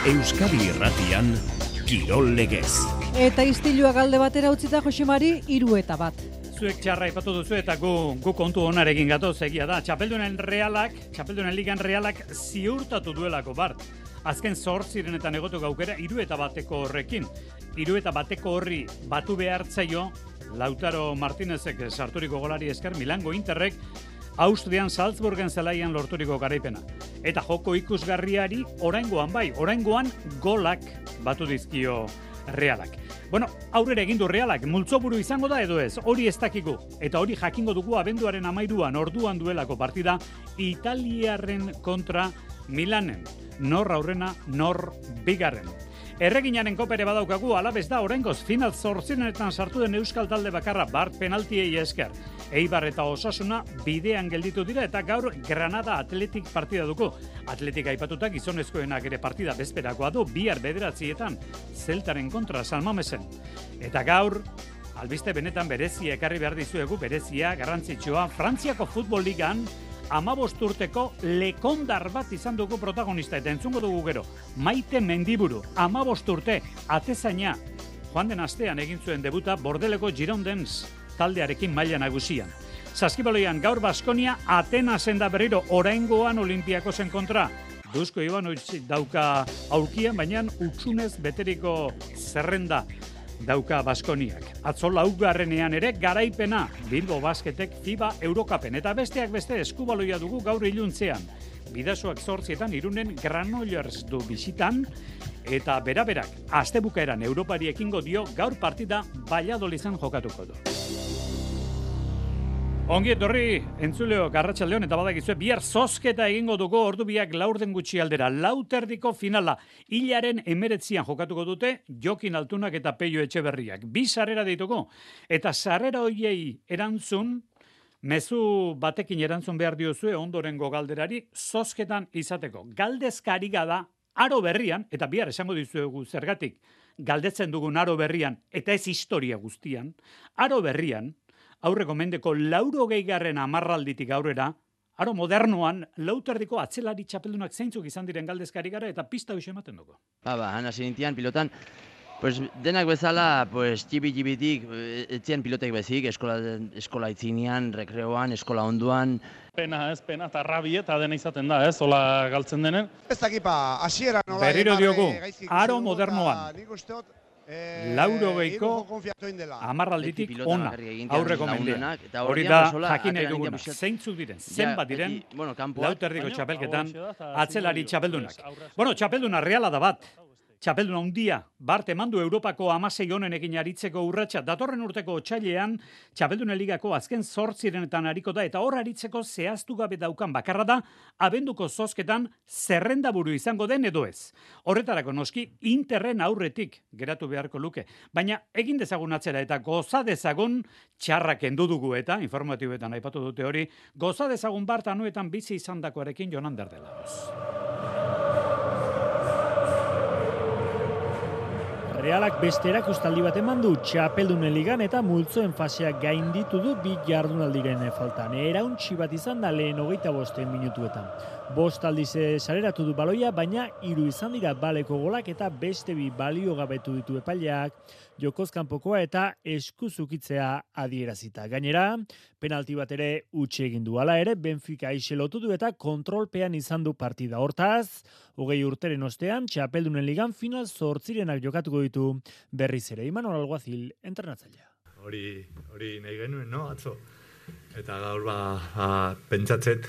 Euskadi Irratian, Kirol Legez. Eta istilua galde batera utzita Josemari 3-1. Zuek txarra ipatu duzu eta gu kontu onarekin gatoz egia da. Txapeldunen ligan realak ziurtatu duelako Bart. Azken 8 egotu gaukera 3-1 horrekin. 3-1 horri batu behartzaio Lautaro Martinezek sarturiko golari esker Milango Interrek Austrian Salzburgen zelaian lorturiko garaipena. Eta joko ikusgarriari oraingoan golak batu dizkio realak. Bueno, aurrera egin du realak, multzoburu izango da edo ez, hori ez dakigu. Eta hori jakingo dugu abenduaren 13 orduan duelako partida italiarren kontra Milanen. Nor aurrena, nor bigarren. Erreginaren kopere badaukagu, alabez da oraingoz final 8etan sartu den euskal talde bakarra Bart penaltiei esker. Eibar eta Osasuna bidean gelditu dira eta gaur Granada Athletic partida dugu. Athletic aipatuta gizonezkoenak ere partida bezperakoa du, bihar 9:00 Zeltaren kontra San Mamesen. Eta gaur, albiste benetan berezia ekarri behar dizuegu, berezia, garrantzitsua, Frantziako futbol ligan 15 urteko lekondar bat izan dugu protagonista eta entzungo dugu gero. Maite Mendiburu, 15 urte, atezaina, joan den astean egin zuen debuta Bordeleko Girondins taldearekin maila nagusian. Saskibaloian gaur Baskonia Atenasen da berriro oraingoan Olimpiakosen kontra. Dusko Ivanovic dauka aurkian, baina utsunez beteriko zerrenda dauka Baskoniak. Atzo 4. ere garaipena Bilbo Basketek FIBA Eurokapen eta besteak beste eskubaloia dugu gaur iluntzean. Bidasoak 8 Irunen Granollers du bisitan eta beraberak astebukaeran Europari ekingo dio gaur partida Valladoliden jokatuko du. Ongi etorri, entzuleok arratsaldeon eta badakizue bihar zozketa egingo dugu ordu biak 4 gutxi aldera. 4 finala, hilaren 19 jokatuko dute Jokin Altunak eta Peio Etxeberriak. 2 sarrera dituko eta sarrera hoiei erantzun, mezu batekin erantzun behar diozue ondorengo galderari zozketan izateko. Galdezkari da aro berrian, eta bihar esango dizuegu zergatik, galdetzen dugun aro berrian, eta ez historia guztian, aro berrian, aurreko mendeko 80. amarralditik aurrera, aro modernoan, 4 atzelari txapeldunak zeintzuk izan diren galdezkari gara eta pista hoxe ematen dugu. Hana zintian pilotan, pues denak bezala, pues txibi-txibitik, etzien pilotek bezik, eskola itzinean, rekreoan, eskola onduan. Pena, eta rabie eta dena izaten da, hola galtzen denen. Ez dakipa, asiera nola... Berriro diogu, aro modernoan. 80ko amarralditik ona aurreko mendean. Hori da jakin nahi duguna. Zeintzuk diren, zenbat diren 4 txapelketan atzelari txapeldunak. Bueno, txapelduna reala da bat. Txapelduna handia, Bart emandu Europako 16 honenekin aritzeko urratsa. Datorren urteko otsailean Txapeldunen ligako azken 8etan ariko da eta hor aritzeko zehaztu gabe daukan bakarra da abenduko zozketan zerrendaburu izango den edo ez. Horretarako noski Interren aurretik geratu beharko luke. Baina egin dezagun atzera eta goza dezagun txarrak kendu dugu eta informatiboetan aipatu dute hori, goza dezagun Bart anuetan bizi izandakoarekin Jonan Derdela. Realak beste erakustaldi bat eman du Txapeldunen ligan eta multzoen faseak gainditu du 2 jardunaldiren faltan. Erauntsi bat izan da lehen 25 minutuetan. 5 aldiz sareratu du baloia, baina 3 izan dira baleko golak eta beste 2 baliogabetu ditu epaileak, jokoz kanpokoa eta eskuzukitzea adierazita. Gainera, penalti bat ere utzi egin du. Hala ere, Benfica iselotu du eta kontrolpean izan du partida. Hortaz, 20 urteren ostean, Txapeldunen ligan final 8 jokatuko ditu berriz ere. Imanol Alguazil, entrenatzailea. Hori nahi genuen, no, atzo? Eta gaur pentsatzet,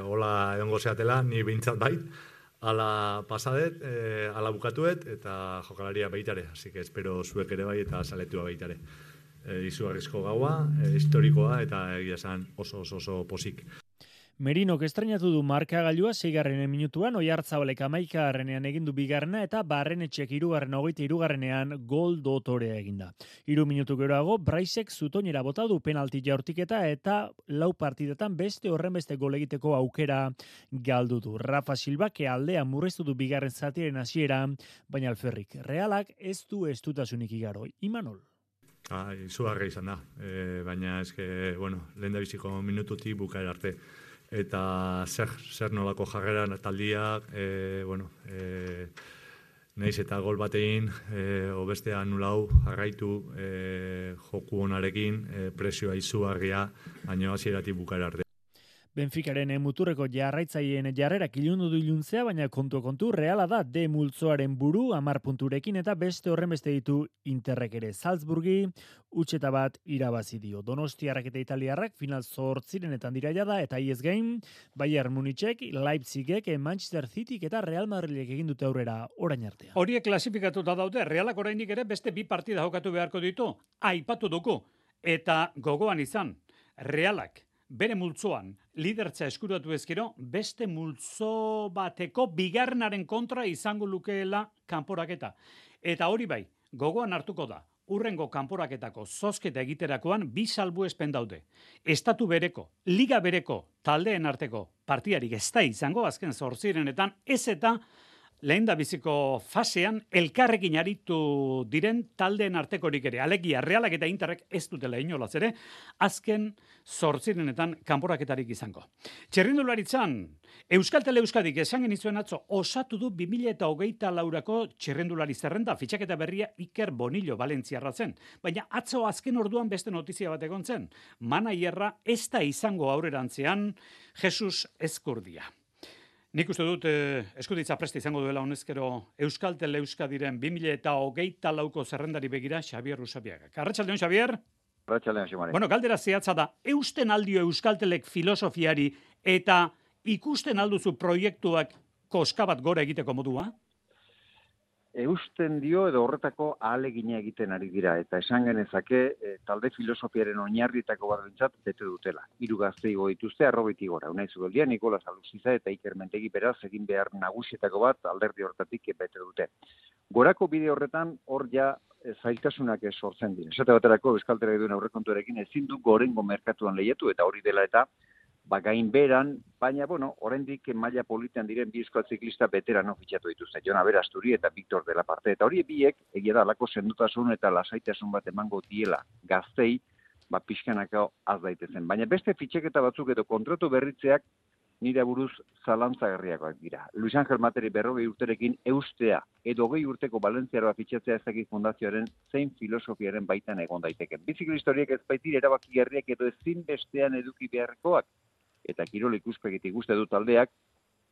hola edongo zeatela, ni behintzat bai, ala pasadet, ala bukatuet, eta jokalaria baitare, así que espero zuek ere bai eta saletua baitare. Izugarrizko gaua, historikoa eta egia esan oso posik. Merinok estrainatu du markagailua 6. minutuan, Oiartzabalek 11. egin du 2. eta Barrenetxek 23. gol dotorea eginda. 3 minutu geroago, Braisek zutoinera bota du penalti jaurtiketa eta 4 partidetan beste horrenbeste gol egiteko aukera galdu du. Rafa Silbak aldea murriztu du 2. zatiaren hasiera, baina alferrik Realak ez du estutasunik igaro. Imanol. Izugarria izan da, baina eske, lehendabiziko minututik bukaera arte. Eta zer nolako jarreran taldiak, Naiz eta gol batein, obeste anulau, jarraitu joku onarekin, presioa izugarria, baina hasieratik bukara arte. Benficaren muturreko jarraitzaileen jarrerak ilundu du iluntzea, baina kontu Reala da D multzoaren buru 10 punturekin eta beste horren beste ditu Interrek ere. Salzburgi utxeta bat irabazi dio. Donostiarrak eta Italiarrak final 8renetan dira jada eta iez gain Bayern Munichek, Leipzigek, Manchester Cityk eta Real Madridek egin dute aurrera orain artean. Horiek klasifikatuta daude, Realak oraindik ere beste 2 partida jokatu beharko ditu. Aipatu dugu eta gogoan izan Realak bere multzoan lidertza eskuratu ezkero, beste multzo bateko bigarrenaren kontra izango lukeela kanporaketa. Eta hori bai, gogoan hartuko da, urrengo kanporaketako zozketa egiterakoan 2 salbuespen daude. Estatu bereko, liga bereko, taldeen arteko partidarik ez da izango, azken 8renetan, ez eta lehendabiziko fasean elkarrekin aritu diren taldeen artekorik ere. Alegia, Realak eta Interrek ez dutela inolaz ere, azken 8renetan kanporaketarik izango. Txirrindularitzan, Euskal Tele Euskadik esan genizuen atzo osatu du 2024ko txirrindulari zerrenda, fitxaketa berria Iker Bonillo Valentziarra zen. Baina atzo azken orduan beste notizia bat egon zen. Manaierra ez da izango aurrerantzean Jesus Ezkurdia. Nik uste dut eskuditza preste izango duela honezkero Euskal Tele Euskadiren 2024ko zerrendari begira Xabier Usabiaga. Arratsaldeon, Xabier? Arratsaldeon, Ximari. Bueno, galdera zehatza da, eusten aldio Euskal Telek filosofiari eta ikusten alduzu proiektuak koska bat gora egiteko modua? Eusten dio edo horretako ahalegina egiten ari dira, eta esan genezake talde filosofiaren oinarrietako bat bintzat bete dutela. 3 gazte igo dituzte, arrobetik gora. Unai Zubeldia, Nikolas Aluziza eta Iker Mentegi beraz egin behar nagusietako bat alderdi horretatik bete dute. Gorako bide horretan hor ja zailtasunak sortzen dira. Esate baterako Euskal Telek duen aurrekontuarekin ezin du gorengo merkatuan lehiatu eta hori dela eta gain beran, baina, oraindik maila politean diren 2 euskal ziklista beterano fitxatu dituzte. Jon Aberasturi eta Victor de la Parte. Eta hori biek, egia da, alako sendotasun eta lasaitasun bat emango diela gaztei, pixkanako az daitezen. Baina beste fitxeketa batzuk edo kontratu berritzeak nire buruz zalantzagarriakoak dira. Luis Angel Materi 40 urterekin eustea edo 20 urteko Valentziaroa fitxatzea ezakit fundazioaren zein filosofiaren baitan egon daiteken. Biziklista horiek ez baitire erabakigarriak edo ezinbestean eduki beharrekoak. Eta kirol ikuspegitik uste du taldeak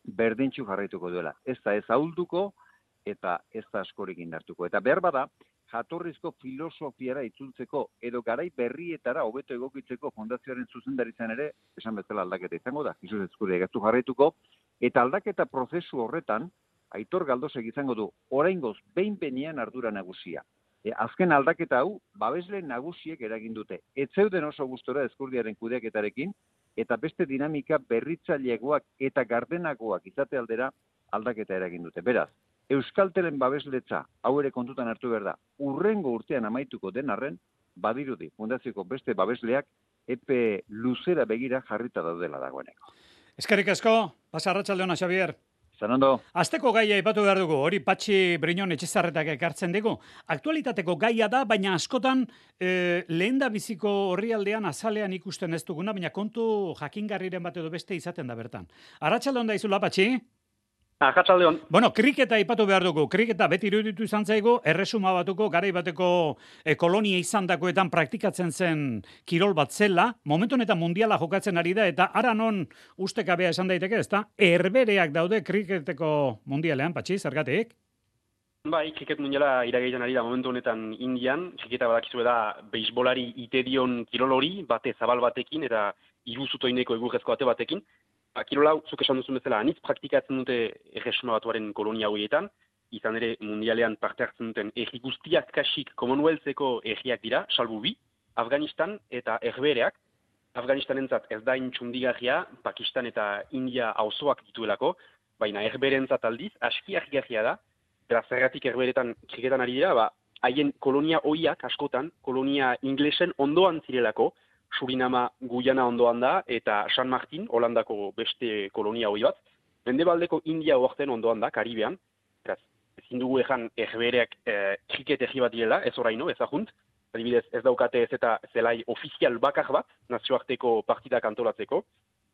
berdintxu jarraituko duela. Ez da ez ahulduko eta ez da askorik indartuko. Eta behar bada, jatorrizko filosofiara itzultzeko edo garai berrietara hobeto egokitzeko fondazioaren zuzendaritzan ere, esan bezala aldaketa izango da, Jesus Ezkurdia gaztu jarraituko, eta aldaketa prozesu horretan, Aitor Galdosek izango du, oraingoz behin-behinean ardura nagusia. Azken aldaketa hau, babesle nagusiek eragin dute. Ez zeuden oso gustora Ezkurdiaren kudeaketarekin, eta beste dinamika berritzaileagoak eta gardenagoak izate aldera aldaketa eragin dute. Beraz, Euskal Telen babesletza hau ere kontutan hartu behar da, urrengo urtean amaituko den arren, badirudi, fundazioko beste babesleak epe luzera begira jarrita daudela dagoeneko. Eskerrik asko, pasa arratsaldeona, Xabier. Zanando. Azteko gaia aipatu behar dugu, hori Patxi Briñon Etxezarretak ekartzen dugu. Aktualitateko gaia da, baina askotan lehendabiziko orrialdean azalean ikusten ez duguna, baina kontu jakingarriren bat edo beste izaten da bertan. Arratsaldeon da izula, Patxi? Arratsaldeon. Bueno, kriketa aipatu behar dugu. Kriketa beti iruditu izan zaigu, erresuma batuko, garai bateko kolonia izandakoetan praktikatzen zen kirol bat zela, momentu honetan mundiala jokatzen ari da, eta ara non ustekabea esan daiteke, ezta? Herbereak daude kriketeko mundialean, Patxi, zergatik? Bai, kriket mundiala iragaitan ari da momentu honetan Indian, kriketa badakizue da beisbolari itedion kirol hori, bate zabal batekin, eta iruzutoineko egurrezko bate batekin. Kirol hau, zuk esan duzun bezala, anitz praktikatzen dute erresuma batuaren kolonia horietan, izan ere mundialean parte hartzen duten erri guztiak kasik Commonwealtheko erriak dira, salbu 2, Afganistan eta Herbereak. Afganistanentzat ez da intxundigarria, Pakistan eta India auzoak dituelako, baina Herberentzat aldiz, aski argigarria da, beraz zergatik Herberetan kriketan ari dira, haien kolonia hoiak askotan, kolonia inglesen ondoan zirelako, Surinama Guyana ondoan da, eta San Martin, Holandako beste kolonia hoi bat. Mendebaldeko India oarten ondoan da, Karibean. Beraz, ezin dugu ezan Herbereak kriket erri bat direla, ez oraino, ez ahunt. Adibidez, ez daukate ez eta zelai ofizial bakar bat, nazioarteko partidak antolatzeko,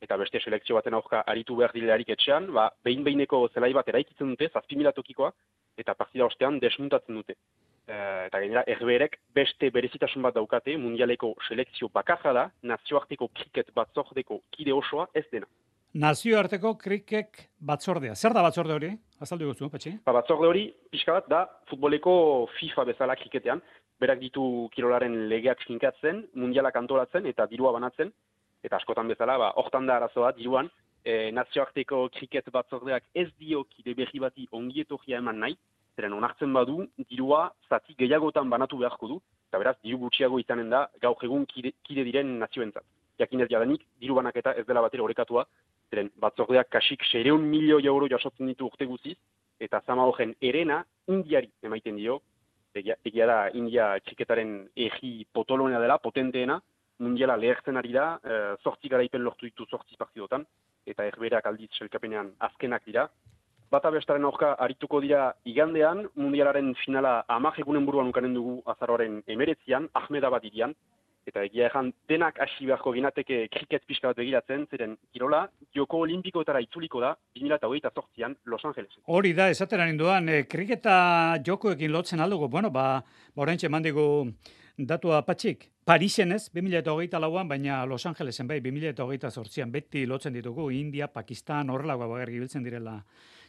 eta beste selekzio baten aurka aritu behar direlarik etxean, behin-behineko zelai bat eraikitzen dute, 7.000 tokikoa, eta partida ostean desmuntatzen dute. Eta gainera, Herberek beste berezitasun bat daukate, mundialeko selekzio bakarra da, nazioarteko kriket batzordeko kide osoa ez dena. Nazioarteko kriket batzordea. Zer da batzorde hori? Azaldu guzu, Patxi? Batzorde hori, pixka bat, da futboleko FIFA bezala kriketean, berak ditu kirolaren legeak finkatzen, mundialak antolatzen eta dirua banatzen, eta askotan bezala, hortan da arazoa, diruan, nazioarteko kriket batzordeak ez dio kide berri bati ongietorria eman nahi, zeren onartzen badu, dirua zati gehiagotan banatu beharko du, eta beraz, diru gutxiago izanen da, gaur egun kide diren nazioentzat. Jakinez jadanik, diru banaketa ez dela batera orekatua, zeren batzordeak kasik 600 milioi euro jasotzen ditu urte guziz, eta zama horren erena Indiari emaiten dio, egia da India kriketaren egi potolonea dela, potenteena, mundiala lehertzen ari da, 8 garaipen lortu ditu 8 partidotan, eta Herberak aldiz selkapenean azkenak dira. Bata bestaren aurka arituko dira igandean, mundialaren finala 10 egunen buruan ukanen dugu azaroaren 19an, Ahmedabad hirian, eta egia erran denak hasi beharko ginateke kriket pixka bat begiratzen, zeren kirola joko olimpikoetara itzuliko da 2028an Los Angelesen. Hori da, esateran induan, kriketa jokoekin lotzen aldugu, oraintxe mandigu datua Patxik. Parisen ez, 2024an, baina Los Angelesen bai, 2028an beti lotzen ditugu, India, Pakistan, horrelagoa bagarri biltzen direla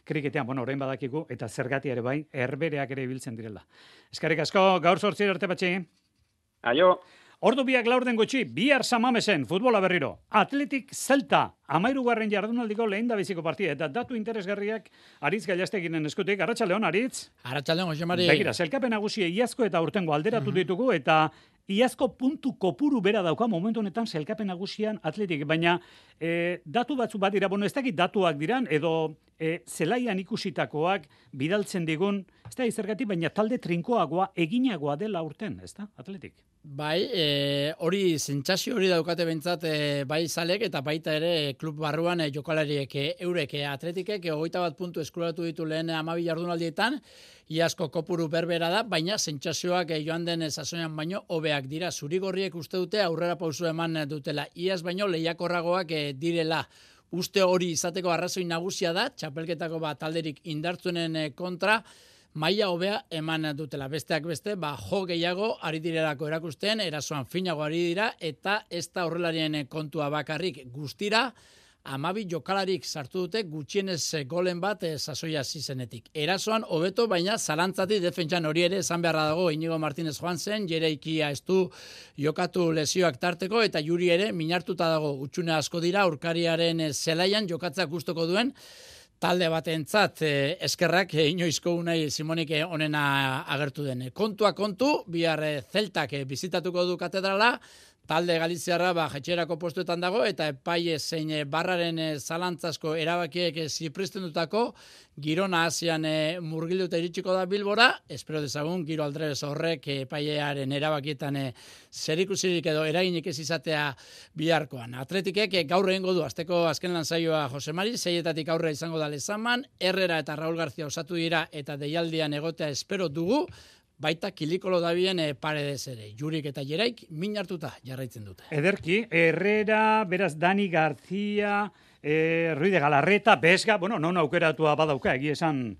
kriketean, orain badakigu, eta zergatia ere bai, Herbereak ere biltzen direla. Eskerrik asko, gaur 8 arte Patxi. Aio. Ordu biak laurden gutxi, bihar Samamesen, futbola berriro. Atletik Zelta, 13. jardunaldiko lehendabiziko partida, eta datu interesgarriak Aritz Gailasteginen eskutik. Arratsaldeon, Aritz. Arratsaldeon, Jose Mari. Begira, sailkapen nagusia iazko eta urtengo alderatu ditugu, eta iazko puntu kopuru bera dauka momentu honetan sailkapen nagusian Atletik, baina datu batzu bat dira, ez dakit datuak diran, edo zelaian ikusitakoak bidaltzen digun, ez da izergatik, baina talde trinkoagoa, eginagoa dela urten, ez da, Atletik? Bai, hori sentsazio hori daukate bentsat bai zalek eta baita ere klub barruan jokalariek eurek Atletikek 21 puntu eskuratu ditu lehen 12 jardunaldietan, iazko kopuru berbera da, baina sentsazioak joan den sasoian baino hobeak dira. Zurigorriek uste dute aurrera pausu eman dutela. Iaz baino lehiakorragoak direla. Uste hori izateko arrazoi nagusia da, txapelketako talderik indartzuenen kontra, maila hobea eman dutela. Besteak beste, jo gehiago ari direlako erakusten, erasoan finago ari dira, eta ez da horrelarien kontua bakarrik guztira, 12 jokalarik sartu dute gutxienez golen bat sasoia zizenetik. Erasoan hobeto, baina zalantzati defentsan hori ere esan beharra dago Inigo Martínez joan zen, Jereikia ez du jokatu lesioak tarteko, eta Juri ere minartuta dago utxune asko dira, aurkariaren zelaian jokatzak gustoko duen, talde batentzat eskerrak inoizko Unai Simonik onena agertu den. Kontua kontu, bihar Zeltak bizitatuko du katedrala, talde galiziarra jetxerako postuetan dago, eta epaile zein barraren zalantzasko erabakiek zipristendutako Girona Asian murgilduta iritsiko da Bilbora, espero dezagun Giro Aldrebes horrek epailearen erabakietan zerikusirik edo eraginik ez izatea biharkoan. Atletikek gaur egingo du asteko azken lansaioa Jose Mari, 6etatik aurrera izango da Lezaman, Herrera eta Raúl García osatu dira eta deialdian egotea espero dugu, baita kilikolo dabien Paredes ere. Jurik eta Jeraik min hartuta jarraitzen dute. Ederki, Herrera, beraz Dani García, Ruiz de Galarreta, Besga, non aukeratua badauka, egia esan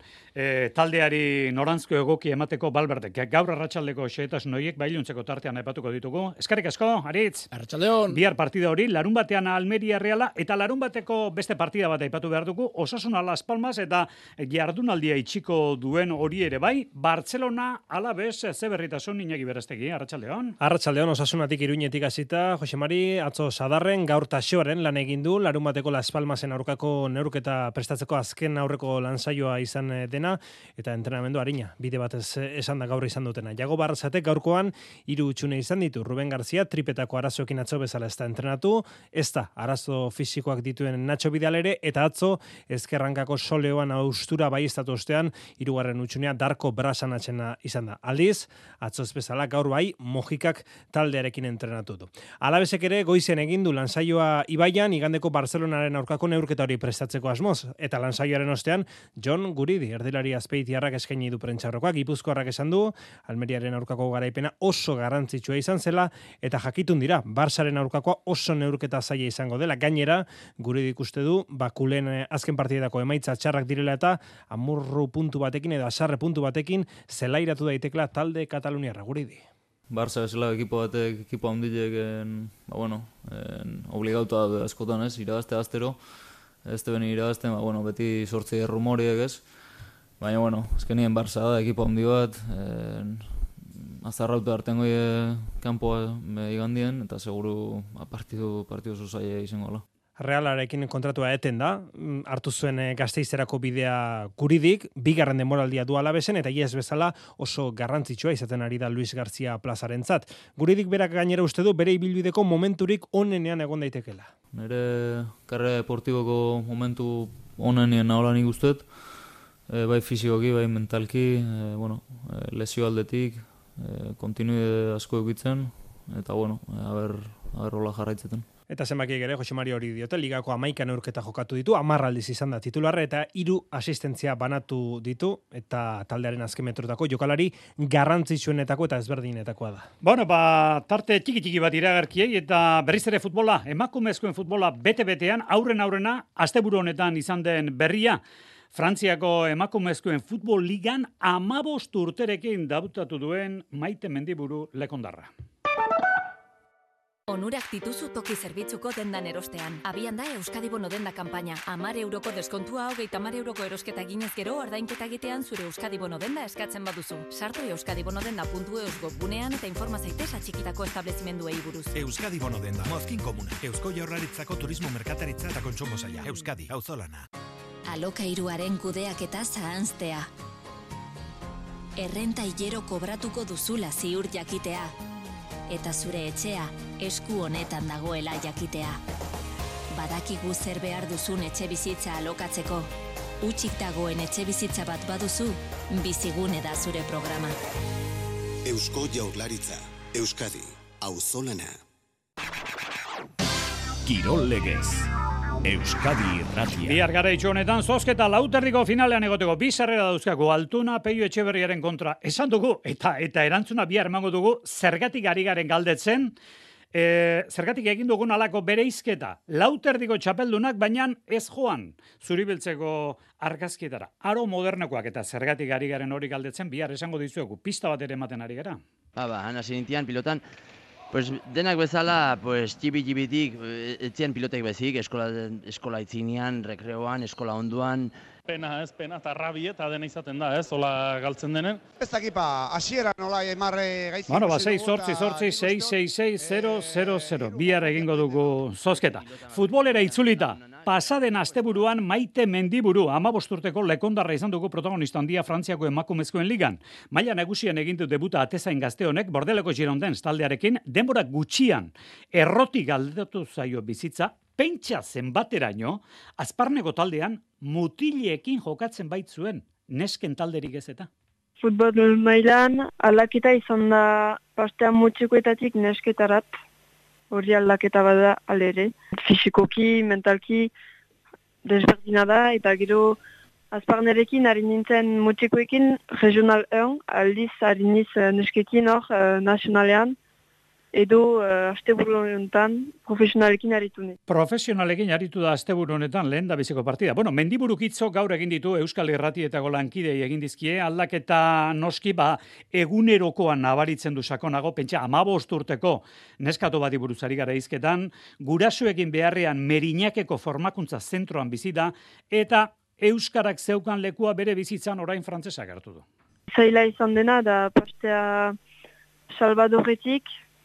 taldeari norantzko egoki emateko Balberdek. Gaur arratsaldeko xehetasun horiek bailuntzeko tartean aipatuko ditugu. Eskerrik asko, Aritz. Arratsaldeon. Bihar partida hori, larun batean Almeria Reala, eta larun bateko beste partida bat aipatu behar dugu, Osasuna Las Palmas, eta jardunaldia itxiko duen hori ere bai, Barcelona Alaves ze berritasun Iñaki Berestegi, arratsaldeon. Arratsaldeon, Osasunatik Iruñetik hasita, Jose Mari, atzo Sadarren, gaur Taxoaren lan egin du, larun bateko Las Palmasen aurkako neurketa prestatzeko azken aurreko lansaioa izan dena, eta entrenamendu arina, bide batez esan da gaur izan dutena. Jago Barrazatek gaurkoan 3 hutsune izan ditu. Ruben Garzia tripetako arazoekin atzo bezala ez da entrenatu, ez da arazo fisikoak dituen Nacho Vidal ere, eta atzo ezkerrankako soleoan austura baieztatu ostean 3. hutsunea Darko Brasanatzena izan da. Aldiz, atzo ez bezala gaur bai Mojikak taldearekin entrenatu du. Alabesek ere goizen egin du lansaioa Ibaian, igandeko Barcelonaren aurkako neurketa hori prestatzeko asmoz. Eta lansaioaren ostean, Jon Guridi, erdilari azpeitiarrak eskaini du prentxaurrekoa, Gipuzkoarrak esan du, Almeriaren aurkako garaipena oso garrantzitsua izan zela, eta jakitun dira, Barsaren aurkakoa oso neurketa zaila izango dela. Gainera, Guridi ikuste du, Kulen azken partidetako emaitza txarrak direla eta amurru puntu batekin edo asarre puntu batekin zelairatu daitekela talde Kataluniarra. Guridi. Barça esela ekipo batek, ekipo handilek, obligauta da askotan ez, irabazte astero, ez beni irabazten, beti sortzi rumoriek ez, baina, azkenien Barça da, ekipo handi bat, azarrauta artengo kanpoa igandien, eta seguru partidu zuzaia izango la. Realarekin kontratua eten da, hartu zuen Gasteizerako bidea Guridik, bigarren denboraldia du Alavesen, eta iaz bezala oso garrantzitsua izaten ari da Luis García plazarentzat. Guridik berak gainera uste du bere ibilbideko momenturik onenean egon daitekela. Nere karrera deportiboko momentu onenean nahola nik usteet, bai fisikoki, bai mentalki, lesio aldetik, kontinuide asko eukitzen, eta aber hola jarraitzeten. Eta zenbakiek ere, Jose Mari hori diote, ligako 11 neurketa jokatu ditu, 10 aldiz izan da titularra, eta 3 asistentzia banatu ditu, eta taldearen azken metrotako jokalari garrantzitsuenetako eta ezberdinetakoa da. Tarte txiki bat iragarkiei, eta berriz ere futbola, emakumezkoen futbola bete-betean, aurrena, asteburu honetan izan den berria, Frantziako emakumezkoen futbol ligan 15 urterekin dabutatu duen Maite Mendiburu lekondarra. Onurak dituzu toki zerbitzuko dendan erostean. Abian da Euskadi Bono denda kanpaina. 10 euroko deskontua, 30 euroko erosketa ginez gero, ordainketa egitean zure Euskadi Bono denda eskatzen baduzu. Sartu euskadibonodenda.eus webgunean eta informa zaitez atxikitako establezimenduei buruz. Euskadi Bono denda, Mozkin Komuna. Eusko Jaurlaritzako Turismo Merkataritza eta Kontsumo Saila. Euskadi, auzolana. Alokairuaren kudeaketa zahanztea. Errenta hilero kobratuko duzula ziur jakitea. Eta zure etxea esku honetan dagoela jakitea. Badakigu zer behar duzun etxe bizitza alokatzeko. Hutsik dagoen etxe bizitza bat baduzu, Bizigune da zure programa. Eusko Jaurlaritza, Euskadi, auzolana. Kirol Legez, Euskadi Irratia. Bihar garaitxo honetan zozketa lauterriko finalean egoteko bi sarrera dauzkako Altuna Peio Etxeberriaren kontra esan dugu eta erantzuna bihar emango dugu zergatik ari garen galdetzen, zergatik egin dugun alako bereizketa. Lauterdiko txapeldunak baina ez joan zuribiltzeko argazkietara. Aro modernekoak eta zergatik ari garen hori galdetzen bihar esango dizuegu. Pista bat ere ematen ari gara. Hasi nintian pilotan, denak bezala, txibi-txibitik, etzian pilotek bezik, eskola itzinean, rekreoan, eskola onduan. Pena, eta rabie, eta dena izaten da, hola galtzen denen. Ez dakipa, hasieran hola emarre gaizki. 6-8-6-6-6-0-0-0. Bihar egingo dugu zozketa. Futbolera itzulita. Pasaden asteburuan Maite Mendiburu 15 urteko lekondarra izan dugu protagonista handia Frantziako emakumezkoen ligan. Maila nagusian egin du debuta atezain gazte honek Bordeleko Girondins taldearekin denbora gutxian errotik aldatu zaio bizitza, pentsa zenbateraino, Azparneko taldean mutileekin jokatzen baitzuen nesken talderik ez eta. Futbol mailan aldaketa izan da pastean mutxikoetatik nesketarat. Hori aldaketa bada alere. Fisikoki, mentalki desberdina da, eta gero Azparnerekin ari nintzen mutxikoekin regional 1, aldiz ari niz neskekin hor nazionalean, edo asteburu honetan profesionalekin aritu ni. Profesionalekin aritu da asteburu honetan lehen da biziko partida. Mendiburuk hitzo gaur egin ditu Euskal Irratietako lankidei egin dizkie, aldaketa noski egunerokoan nabaritzen du sakonago, pentsa 15 urteko neskatu bati buruz ari gara hizketan, gurasoekin beharrean Merinakeko formakuntza zentroan bizi da, eta euskarak zeukan lekua bere bizitzan orain frantsesak hartu du. Zaila izan dena da pastea Salvadorretik,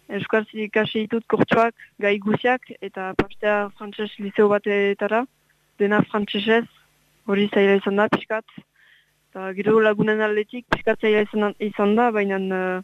euskaraz ikasi ditut kurtsuak, gai guziak, eta pastea frantses liceo batetara, dena frantsesez, hori zaila izan da, pixkat. Eta gero lagunen aldetik, pixkat zaila izan da, baina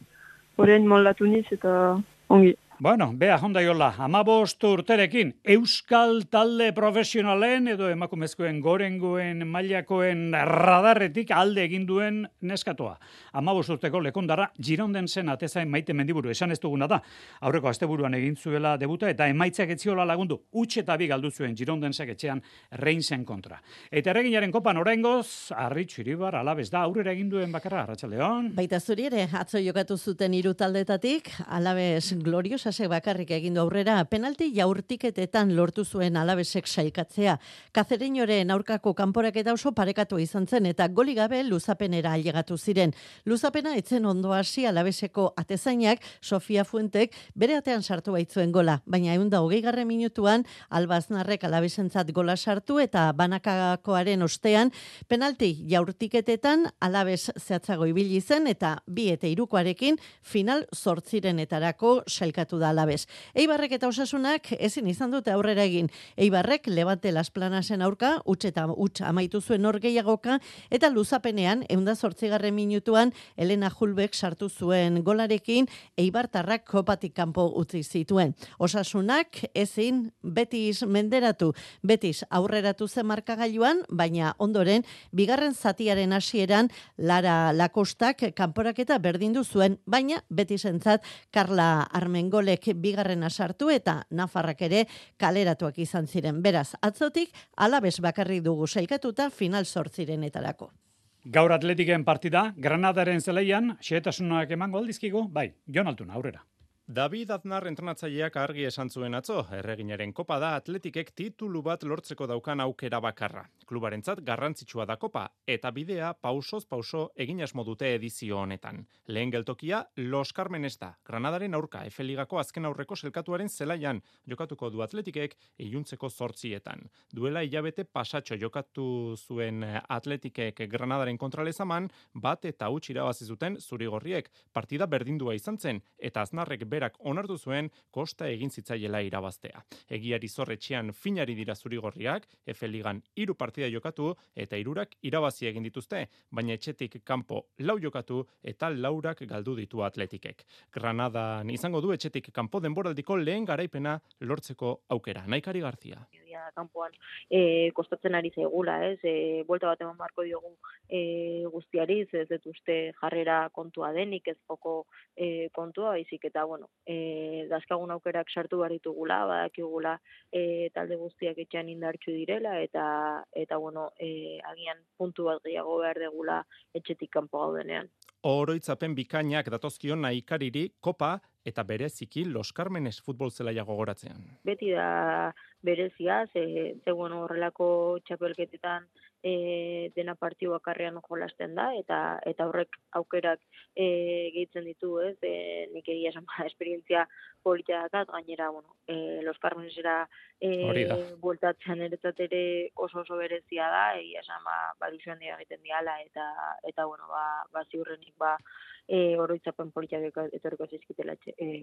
horrein moldatu niz eta ongi. Bueno, bea jondaiola, 15 urterekin, Euskal talde profesionalen edo emakumezkoen gorengoen mailakoen radarretik alde egin duen neskatoa. 15 urteko lekondara Girondensen atezain Maite Mendiburu, esan ez duguna da. Aurreko asteburuan egin zuela debuta eta emaitzak etziola lagundu, huts eta bi galdu zuen Girondensek etxean Reinsen kontra. Eta erreginaren kopan oraingoz, Arritxu Iribar Alabez da aurrera egin duen bakarra, Arratsaldeon. Baita zuri ere, atzo jokatu zuten 3 taldetatik, Alabez gloriosasek bakarrik egindu aurrera, penalti jaurtiketetan lortu zuen Alabezek sailkatzea. Kazereñoren aurkako kanporaketa oso parekatu izan zen eta goli gabe luzapenera ailegatu ziren. Luzapena etzen ondo hasi Alabezeko atezainak, Sofia Fuentek bere atean sartu baitzuen gola, baina 120. Minutuan Albaznarrek Alabezentzat gola sartu eta banakakoaren ostean penalti jaurtiketetan Alabez zehatzago ibili zen eta 2 eta 3koarekin final 8renetarako sailkatu da Alabez. Eibarrek eta Osasunak ezin izan dute aurrera egin. Eibarrek Levante Las Planasen aurka, huts amaitu zuen norgehiagoka, eta luzapenean, 108. Minutuan, Elena Julbek sartu zuen golarekin, Eibartarrak kopatik kanpo utzi zituen. Osasunak ezin Betis menderatu. Betis aurreratu zen markagailuan, baina ondoren, bigarren zatiaren hasieran Lara Lakostak kanporaketa berdindu zuen, baina Betisentzat Carla Armengolek bigarrena sartu eta Nafarrak ere kaleratuak izan ziren. Beraz, atzotik Alabez bakarrik dugu sailkatuta final 8renetarako. Gaur Atletiken partida, Granadaren zelaian, xehetasunak emango aldizkigu, bai, Jon Altuna, aurrera. David Aznar entrenatzaileak argi esan zuen atzo, erreginaren kopa da Atletikek titulu bat lortzeko daukan aukera bakarra. Klubarentzat garrantzitsua da kopa, eta bidea pausoz pauso egin asmo dute edizio honetan. Lehen geltokia, Los Carmenes da, Granadaren aurka, F-ligako azken aurreko selkatuaren zelaian jokatuko du Atletikek iluntzeko 8etan. Duela hilabete pasatxo jokatu zuen Atletikek Granadaren kontralezaman, bat eta huts irabazi zuten zurigorriek, partida berdindua izan zen, eta Aznarrek berak onartu zuen kosta egin zitzaiela irabaztea. Egiari zorretxean finari dira zurigorriak, F-ligan 3 partida jokatu eta 3 irabazi egin dituzte, baina etxetik kanpo 4 jokatu eta 4 galdu ditu Atletikek. Granadan izango du etxetik kanpo denboraldiko lehen garaipena lortzeko aukera. Naikari Garzia. Kanpoan kostatzen ari zaigula, buelta bat eman barko diogu guztiari, ez dut uste jarrera kontua denik, ez joko kontua, baizik eta, dazkagun aukerak sartu behar ditugula, badakigula talde guztiak etxean indartsu direla, eta agian puntu bat gehiago behar degula etxetik kanpo gaudenean. Oroitzapen bikainak datozkion Naikariri kopa eta bereziki Los Carmenes futbol zelaia gogoratzean. Beti da berezia, horrelako txapelketetan dena partiu bakarrean jolasten da, eta horrek aukerak gehitzen ditu, nik egia esan esperientzia polita dakat, gainera, Los Carmenesera bueltatzean eretzat ere oso berezia da, egia esan badizuen dira egiten diala, eta ziurrenik oroitzapen politiak etorriko zizkitela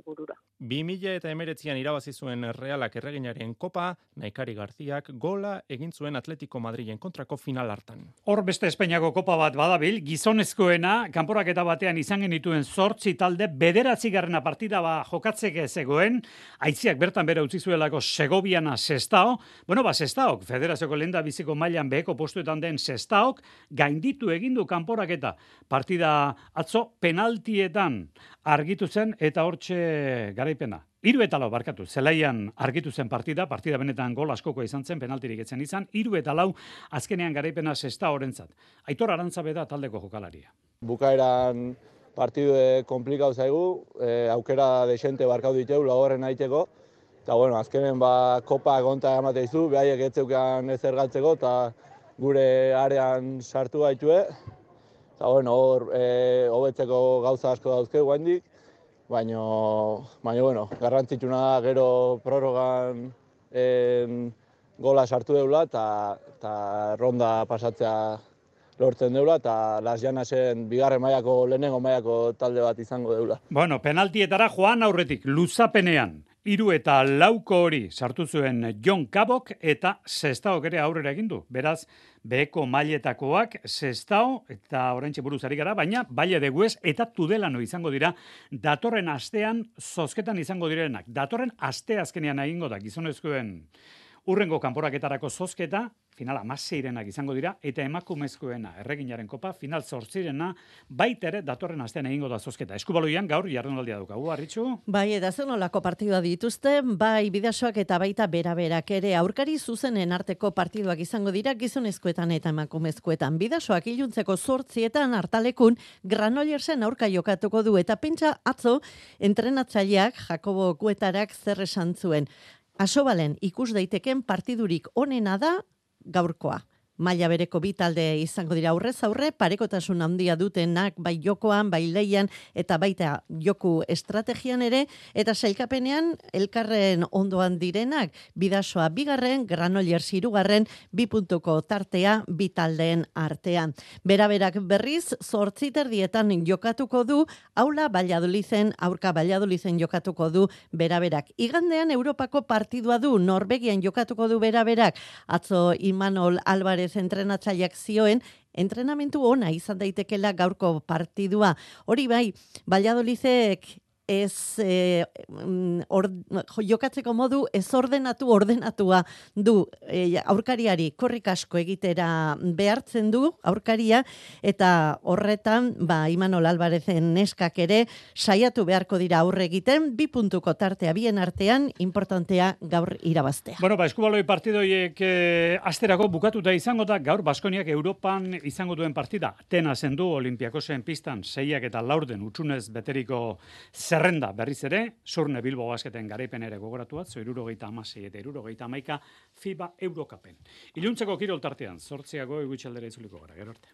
burura. 2019an irabazi zuen Realak erreginaren kopa, Naikari Garziak gola egin zuen Atletico Madrilen kontrako final hartan. Hor beste Espainiako kopa bat badabil, gizonezkoena, kanporaketa batean izan genituen 8 talde, 9. partida jokatzeke zegoen, aitziak bertan bere utzi zuelako Segoviana Sestaok, Sestaok, federazioko lenda biziko mailan beheko postuetan den Sestaok, gainditu egindu kanporaketa. Partida atzo penaltietan argitu zen eta hortxe garaipena. 3-4 barkatu, zelaian argitu zen partida benetan gol askoko izan zen, penaltirik etzen izan, 3-4 azkenean garaipena Sestaorentzat. Aitor Arantzabe da taldeko jokalaria. Bukaeran partidu komplikau zaigu, aukera desente barkatu ditu, lagorren aiteko, eta azkenen kopa konta emate izu, behaiek etzeukan ezer galtzeko, eta gure arean sartu gaitue, eta hobetzeko gauza asko dauzke guaindik, baina garrantzitsuna da gero prorrogan gola sartu deula eta ronda pasatzea lortzen deula eta Las Llanasen bigarren mailako lehenengo mailako talde bat izango deula. Penaltietara joan aurretik luzapenean 3-4 hori sartu zuen Jon Kabok eta Sestaok ere aurrera egin du. Beraz, beheko mailetakoak Sestao eta oraintxe buruz ari gara, baina Valle de Hues eta Tudelano izango dira datorren astean zozketan izango direnak. Datorren aste azkenean egingo da gizonezkoen urrengo kanporaketarako zozketa, final 16renak izango dira, eta emakumezkoena erreginaren kopa, final 8rena, baita ere datorren astean egingo da zozketa. Eskubaloian gaur jardunaldia daukagu, Arritxu? Bai, eta zen olako partidua dituzte, bai Bidasoak eta baita beraberak ere aurkari zuzenen arteko partiduak izango dira gizonezkoetan eta emakumezkoetan. Bidasoak iluntzeko 8etan hartalekun Granollersen aurka jokatuko du, eta pentsa atzo entrenatzaileak Jakobo Kuetarak zer esan zuen. Asobalen ikus daiteken partidurik onena da gaurkoa. Maila bereko bi talde izango dira aurrez aurre, parekotasun handia dutenak bai jokoan, bai leian eta baita joku estrategian ere, eta sailkapenean elkarren ondoan direnak, Bidasoa 2, Granollers 3, 2 puntuko tartea bi taldeen artean. Beraberak berriz 8:30 jokatuko du, aula Valladoliden, aurka Valladoliden jokatuko du beraberak. Igandean Europako partidua du, Norvegian jokatuko du beraberak, atzo Imanol Álvarez entrenatzaileak zioen, entrenamentu ona izan daitekela gaurko partidua. Hori bai, Valladolidek ez jokatzeko modu ez ordenatua du aurkariari korrik asko egitera behartzen du aurkaria, eta horretan Imanol Álvarezen neskak ere saiatu beharko dira aurre egiten, 2 puntuko tartea bien artean, importantea gaur irabaztea. Bueno, eskubaloi partidoiek asterako bukatuta izango da, gaur Baskoniak Europan izango duen partida. Atenasen du Olimpiakosen pistan 6 eta 4 utxunez beteriko zerrenda berriz ere, Surne Bilbo Basketen garaipen ere gogoratuat, 76 eta 71 FIBA Eurocupen. Iluntzeko kirol tartean, 8 egutxaldera itzuliko gara, gero arte.